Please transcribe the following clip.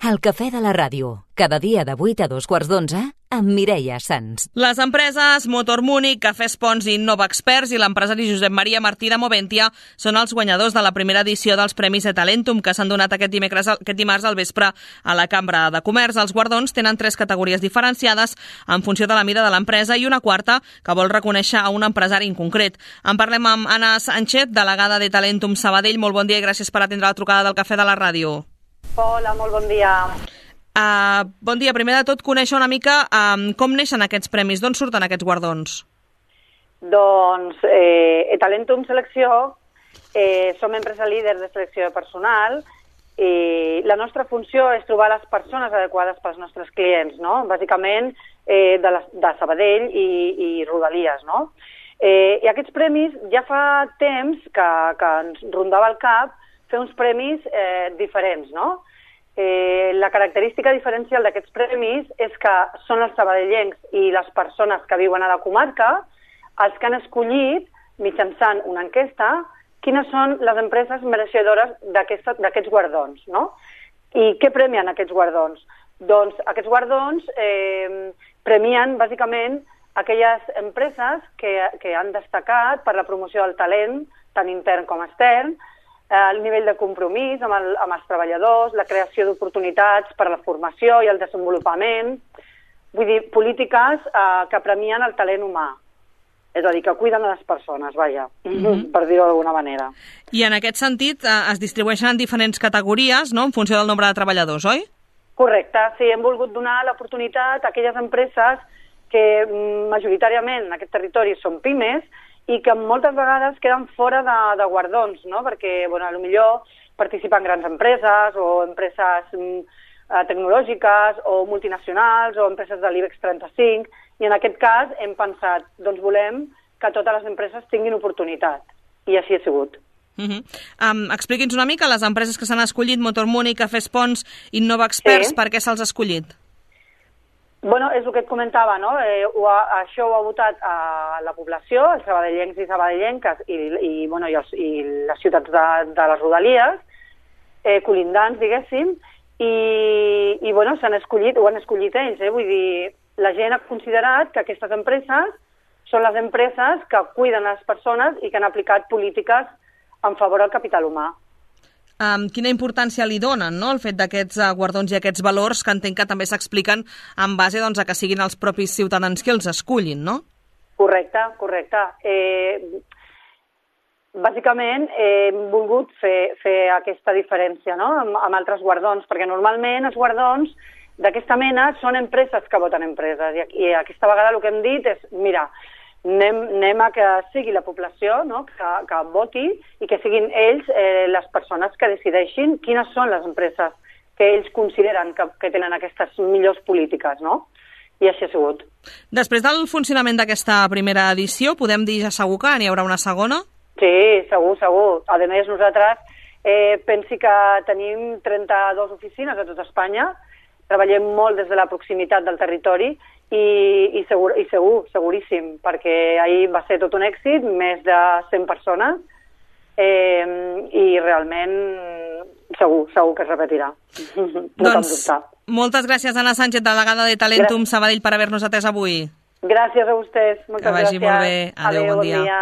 El cafè de la ràdio, cada dia de 8 a 2:15, amb Mireia Sans. Les empreses Motor Múnich, Cafès Pons i Nova Experts i l'empresari Josep Maria Martí de Moventia són els guanyadors de la primera edició dels Premis de Talentum que s'han donat aquest dimarts al vespre a la Cambra de Comerç. Els guardons tenen 3 categories diferenciades en funció de la mida de l'empresa i una quarta que vol reconèixer a un empresari en concret. En parlem amb Anna Sánchez, delegada de Talentum Sabadell. Molt bon dia i gràcies per atendre la trucada del cafè de la ràdio. Hola, molt bon dia. Bon dia. Primer de tot, conèixer una mica com neixen aquests premis, d'on surten aquests guardons? Doncs Talentum Selecció som empresa líder de selecció de personal i la nostra funció és trobar les persones adequades pels nostres clients, no? Bàsicament de Sabadell i Rodalies, no? I aquests premis ja fa temps que ens rondava el cap fer uns premis diferents, no? La característica diferencial d'aquests premis és que són els sabadellencs i les persones que viuen a la comarca els que han escollit, mitjançant una enquesta, quines són les empreses mereixedores d'aquests guardons, no? I què premien aquests guardons? Doncs aquests guardons premien, bàsicament, aquelles empreses que han destacat per la promoció del talent, tant intern com extern, el nivell de compromís amb els treballadors, la creació d'oportunitats per a la formació i el desenvolupament, vull dir, polítiques que premien el talent humà, és a dir, que cuiden a les persones, vaja, per dir-ho d'alguna manera. I en aquest sentit es distribueixen en diferents categories, no?, en funció del nombre de treballadors, oi? Correcte, sí, hem volgut donar l'oportunitat a aquelles empreses que majoritàriament en aquest territori són pimes i que moltes vegades queden fora de guardons, no? Perquè, bueno, potser participen grans empreses o empreses tecnològiques o multinacionals o empreses de l'IBEX 35 i en aquest cas hem pensat, doncs volem que totes les empreses tinguin oportunitat i així ha sigut. Expliqui'ns una mica les empreses que s'han escollit, Motor Múnich, Cafès Pons i Nova Experts, per què se'ls ha escollit? Bueno, és el que et comentava, no? Això ho ha votat a la població, els sabadellencs i sabadellenques i les ciutats de les Rodalies, colindants, diguéssim, i bueno, ho han escollit ells, vull dir, la gent ha considerat que aquestes empreses són les empreses que cuiden les persones i que han aplicat polítiques en favor del capital humà. Quina importància li donen, no?, el fet d'aquests guardons i aquests valors que entenc que també s'expliquen en base a que siguin els propis ciutadans que els escullin, no? Correcte. Bàsicament hem volgut fer aquesta diferència, no?, amb altres guardons, perquè normalment els guardons d'aquesta mena són empreses que voten empreses i aquesta vegada el que hem dit és, mira, anem a que sigui la població, no?, que voti i que siguin ells les persones que decideixin quines són les empreses que ells consideren que tenen aquestes millors polítiques, no? I així ha sigut. Després del funcionament d'aquesta primera edició, podem dir ja segur que n'hi haurà una segona? Sí, segur. A més, nosaltres pensi que tenim 32 oficines a tot Espanya, treballem molt des de la proximitat del territori i seguríssim, perquè ahir va ser tot un èxit, més de 100 persones, i realment segur que es repetirà. Doncs moltes gràcies, Anna Sánchez, delegada de Talentum Sabadell, per haver-nos atès avui. Gràcies a vostès, moltes gràcies. Que vagi molt bé. Adéu, bon dia.